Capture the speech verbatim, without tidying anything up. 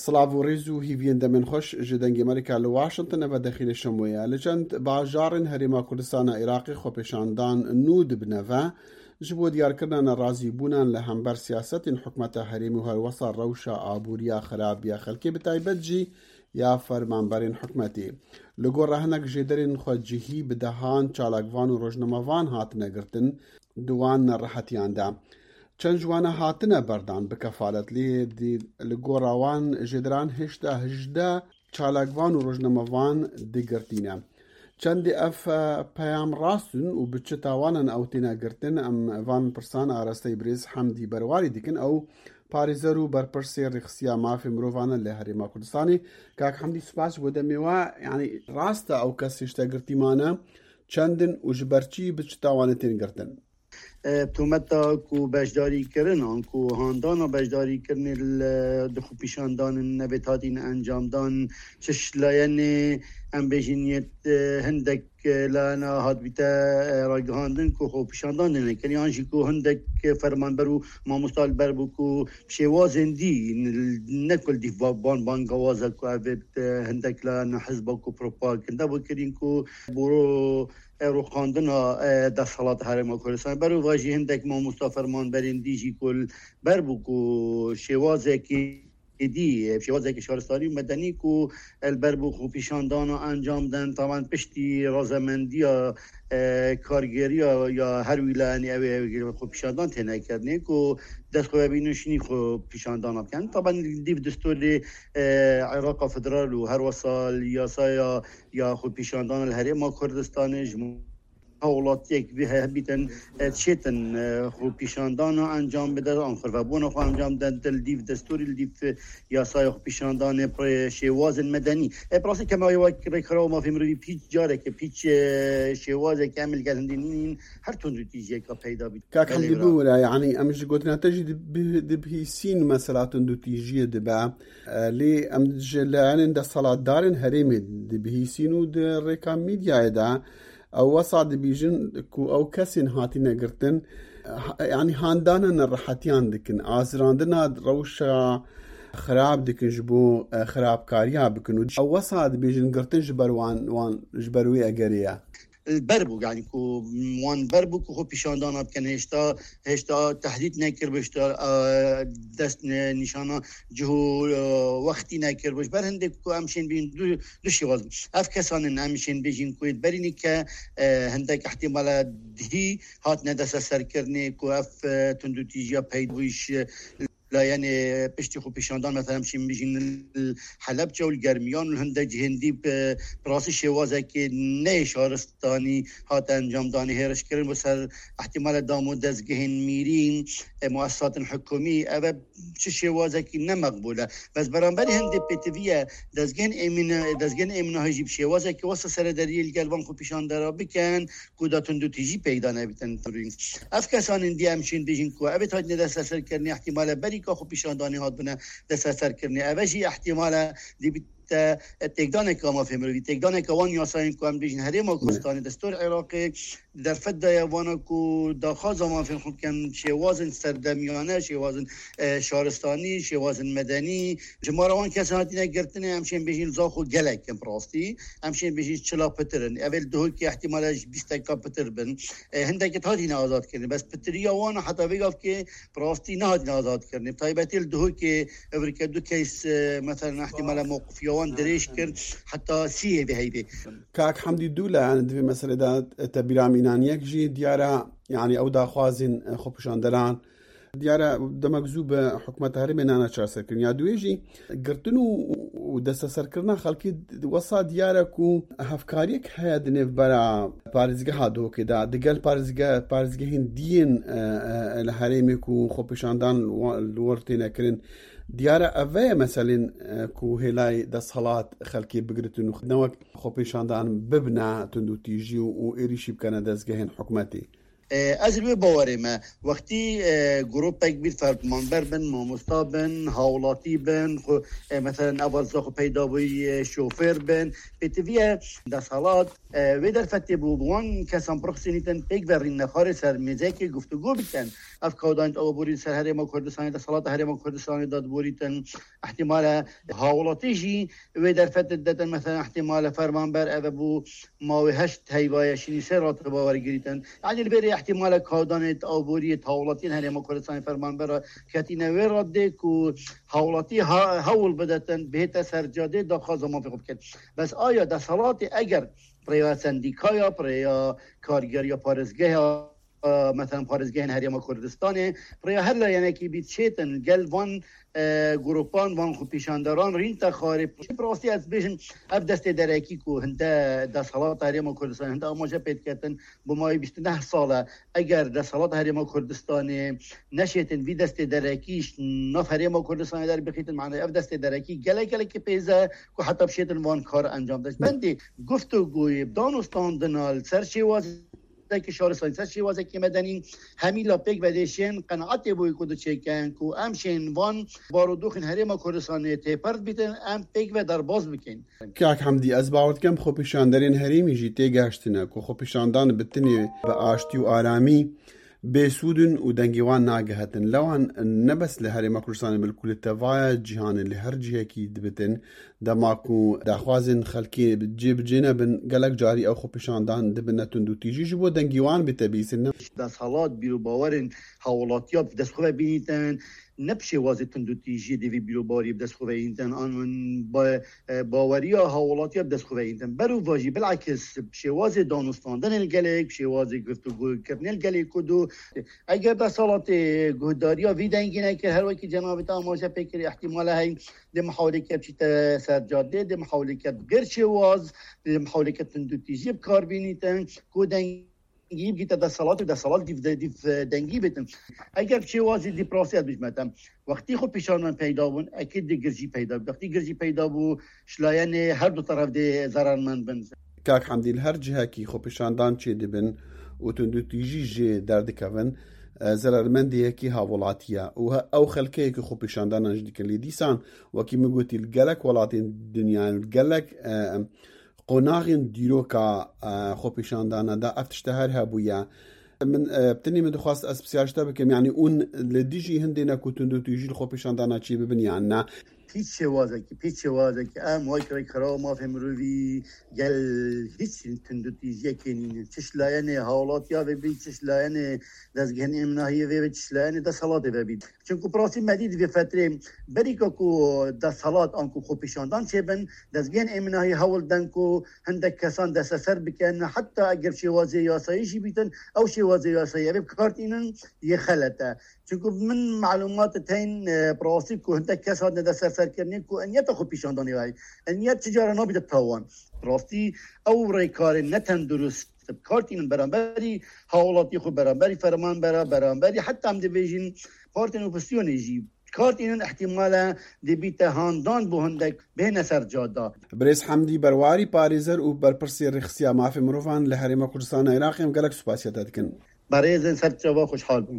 Silav û rêz û hîviyên demên xweş ji Dengê Amerîka li Washington, eve dexîlê şemoye. Li çend bajarên Herêma Kurdistana Iraqê xwepêşandan nû dibine ve, ji bo diyarkirina nerazîbûnan li hember siyasetên hikûmeta herêmî û herwesa rewşa aboriya xirab ya xelkê, bi taybet jî ya fermanberên hikûmetê. Li gora hinek jêderên xwecihî bi dehan çalakvan û rojnamevan hatine girtin, di wan nerehetiyan de. Çend ji wana hatine berdan bi kefalet, lê di, li gora wan jêderan hêşta hejdeh çalakvan û rojnamevan di girtî ne. Çendê ev, e, peyam rast in û bi çi tawanan ew têne girtin, em van pirsan arasteyî birêz Hemdî Berwarî dikin. Ew parêzer û berpirsê rêxistiya mafê mirovan e li Herêma Kurdistanê. Kak Hemdî, spas ji bo demê we. Yanî rast e ew kes hêşta girtî mane? Çend in û ji ber çi, bi çi tawanê tên girtin? E, tometa ku beşdarîkirinan, ku handana beşdarîkirinê li, di xwepîşandanên nebe hatîne encamdan, çi ji layenê, em bêjin, yê, e, hindek, e, layena hatbîte, e, ragihandin ku xwepîşandan têne kirin, yan jî ku hindek fermanber û mamosta li ber bû ku şêwazên dî, ne ku li dîv ba-, ban bangawaza ku ev, e, hindek layena hizba ku propaganda bû kirin ku boro e, rûxandina, e, desthilat Herêma Kurdistanê. Berovajî hindek mamosta fermanberên dî jî ku li ber bû ku şêwazekî dî, e, şêwazekî şaristanî û medenî ku, e, li ber bû xwepîşandana encam den, taban piştî razemendiya, e, kargêriya ya her wîlayenî ew ê xwepîşandan têne kirinê ku dest xwe bînin şinî xwepîşandana bikin. Taban li dîv destûrê, e, Iraqa Federal û her wesa li yasaya ya xwepîşandana li Herêma Kurdistanê ji hewlatiyek vî hebîtin, e, çêtin, e, xwepîşandana encam bide, an xirvebûna xwe encam den, li dîv destûrî, li dîv yasaya xwepîşandanê, pre-, şêwazên medenî. E, bi rastî kema wek rêkxirawa mafê mirovî pîç careke, pîç, e, şêwazeke em li gel hindî nîn, her tundûtîjiyeka peyda bît. Kak Hemdî, bira, bibûre, yanî em ji gotina te jî dibi-, dibihîsîn mesela tundûtîjiyê dibe. E, lê em ji layenên desthilatdarên herêmê dibihîsîn û di rêka medyayê de ew wesa dibêjin ku ew kesên hatine girtin, ha-, yanî handana nerehetiyan dikin, azirandina rewşa xirab dikin ji bo, e, xirabkariya bikin û ew wesa dibêjin girtin ji ber wan, wan, ji ber wê egerê ye. Li ber bû, yanî ku wan ber bû ku xwe pîşandana bikin, hêşta, hêşta tehdît nekiribû, hêşta, e, dest ne-, nîşana cih û, e, wextî nekiribû. Ji ber hindê ku em şên bîn du, du şêwaz. Ev kesan in em şên bêjin ku yê berînî ke, e, hindek ihtimala dihî hatine desteserkirinê ku ev, e, tundûtîjiya peydabûyî ji layenê piştî xwepîşandan, mesela, em şîn bijîn li Helebçe û li Germiyan û li hindek cihên dî bi, bi rastî şêwazekê ne yê şaristanî hate encamdanê hêrişkirin bo ser ihtimale dam û dezgehên mîrî, e, muessisatên hikûmî, ev e çi şêwazekî ne meqbûl e. Bes beramberî hindê pêtivî ye, dezgehên êmîne-, dezgehên êmînahî jî bi şêwazekî wesa serederiyê li gel van xwepîşandera bikin, ku da tundûtîjî peyda nebîtin. Ev kesanên dî em şên bêjin ku ev ê hatine desteserkirinê, ihtimale berî ka xwepîşandanê hatbûne desteserkirinê. Ev e jî ihtimale dî bîte têkdaneke mafê mirovî, têkdaneke wan yasayên ku em bêjin Herêma Kurdistanê, destûr Iraqê, di derfet de ye, vana ku daxwaza mafên xwe bikin, şêwazên serdemiyane, şêwazên, e, şaristanî, şêwazên medenî, jimara wan kesan hatine girtinê, em şên bêjin li Zaxo gelek in bi rastî. Em şên bêjin çila pitir in. Ev ê li Duhokê ihtimale ji bîst deka pitir bin. E, hindekî hatine azadkirin. Bes pitiriya wan heta vê gavkê bi rastî nehatine azadkirinê. Bi taybetî li Duhokê evrike du keys, e, mesela ihtimale mewqifiya wan dirêj kir heta sîyê vê heyvê. Kak Hemdî, dû layan di vê meselê de te bîra mînan. Yek jî diyar e, yanî ew daxwazên, e, xwepîşanderan diyar e, demek zû bi hikûmeta herêmê nane çareserkirin. Ya duyê jî girtin û, û desteserkirina xelkê wesa diyar e ku hevkariyek heye di nêvbera parêzgeha Duhokê de, digel parêzge-, parêzgehên diyên, e, e, li herêmê ku xwepîşandan wa-, li wir têne kirin. Diyar e, ev e meselên, e, ku hêlayê desthilat xelkê bigiritin û ne wek xwepêşandan bibine tundûtîjî û, û êrîşî bikene dezgehên hikûmetê. E, ez li wê bawerê me. Wextî, e, grûpek bîr fermanber bin, mamosta bin, hawlatî bin, xwe, e, meselen, ev zaxo peyda bûyî, e, şofêr bin. Pêtiviye desthilat, e, wê derfetê bû, bi wan kesan birxisînîtin, pêk ve rîn nexarê ser mêzekê guftûgû bikin. Ev kawdanît aborî ser Herêma Kurdistanê, desthilat Herêma Kurdistanê dadiborîtin. Îhtimale hawlatî jî wê derfetê detin, meselen, îhtimale fermanber eve bû, ma wê heşt heyva ye, şînî sê ratiba wergirîtin. Yanî li bêrê îhtimale kawdanê aboriyê hawlatiyên Herêma Kurdistanê fermanbera ketîne wê radê ku hawlatî ha-, hewl bidetin, bihête ser cadê daxwaza mafê xwe bikin. Bes aya desthilatê eger bi rêya sendîkaya, bi rêya kargeriya parêzgeha, e, meselen parêzgehên Herêma Kurdistanê, bi rêya her layenekî bî çêtin gel van, e, grûpan, van xwepîşanderan rîn te xarê. Bi rastî ez bêjim, ev destê derekî ku hinde desthilat Herêma Kurdistanê hinde amaje pê diketin, bi mayî bîst û neh sal e. Eger desthilat Herêma Kurdistanê neşêtin vî destê derekî ji nav Herêma Kurdistanê derbixîtin, mane ev destê derekî gelek gelekî pêz e ku heta bişêtin van kar encam de. Bendê guftûgoyê, danûstandina li ser şêwazekî şaristanî, ser şêwazekî medenî, hemî la pêk vedêşên qenaetê bûyî ku diçêkin ku em şên van barodoxên Herêma Kurdistanê têper dibîtin, em pêk ve derbas bikin. Kak Hemdî, ez bawer dikim xwepîşanderên herêmî jî têgehiştine ku xwepîşandan bi tinê bi aştî û aramî bêsûd in û dengê wan nagihetin. Lewan ne bes li Herêma Kurdistanê, belkû li tevaya cîhanê li her cihekî dibitin. Dema ku daxwazên xelkê cêbicê nebin, gelek carî ew xwepîşandan dibine tundûtîjî ji bo dengê wan bête bîstin. Desthilat bîr û bawerên hawlatiya bi dest xwe ve bînîtin, ne bi şêwazê tundûtîjiyê dê vî bîr û bawerî bi dest xwe ve întin, an ba-, e, baweriya hawlatiya bi dest xwe ve întin. Ber û va jî bilakis bi şêwazê danûstandinên gelek, bi şêwazê guftûgokirinên gelê Kurd û eger desthilatê guhdariya vî dengî nekir, her wekî cenabê te amaje pê kirî, îhtimale heye dê mihawleke biçîte ser cadê, dê mihawleke bi gêr şêwaz, dê mihawleke tundûtîjiyê bi kar bînîtin, ku deng dengî bigîte desthilat û desthilat dîv de, dîv, e, dengî bitin. Eger şêwazî dî bi rastî ez bijme te, wextî xwepîşandan peyda bûn, ekîd dê girjî peyda bû. Wextî girjî peyda bû, ji layenê her du teref dê zerarmend bin. Kak Hemdî, li her cihekî xwepîşandan çêdibin û tundûtîjî jê derdikevin, e, zerarmendê yekî hawlatî ye û he-, ew xelkê yekî xwepîşandanan jî dikin. Lê dîsan, wekî min gotî, li gelek welatên dinyayê û li gelek, e, qonaxên dîroka, e, xwepîşandana de ev tişte her hebûye. Min, e, bi tenê min dixwest ez pisyar ji te bikim, yanî hûn li dijî hindê ne ku tundûtîjî li xwepîşandana çê bibin yan ne? Hiç şêwazekî, hiç şêwazekî. Em wek rêkxirawa mafê mirovî gel hiç tundûtîjiyekê nînin. Çi ji layenê hawlatiya ve bî, çi ji layenê dezgehên êminahiyê ve, çi ji layenê desthilatê ve bî. Çunku bi rastî me dî di vê fetrê berîka ku desthilat an ku xwepîşandan çêbin, dezgehên êminahî hewl den ku hindek kesan desteser bikin, heta eger şêwazê yasayî jî bîtin, ew şêwazê yasayî ev ê bi kar tînin yê xelet e. Çunku min malûmat tên, e, bi rastî ku hindek kes hatine desteserkirinê ku ew niyeta xwepîşandanê heye. Ew niyet çi cara nabîte tawan. Bi rastî ew rêkarên ne tendurist bi kar tînin beramberî hawlatî xwe, beramberî fermanbera, beramberî heta em dibêjin partên opozîsyonê jî bi kar tînin, îhtimale dê bîte handan bo hindek bihêne ser cada. Birêz Hemdî Berwarî, parêzer û berpirsê Rêxistiya Mafê Mirovan li Herêma Kurdistana Iraqê, em gelek spasiya te dikin. Berêzên ser çava xweşhal bin.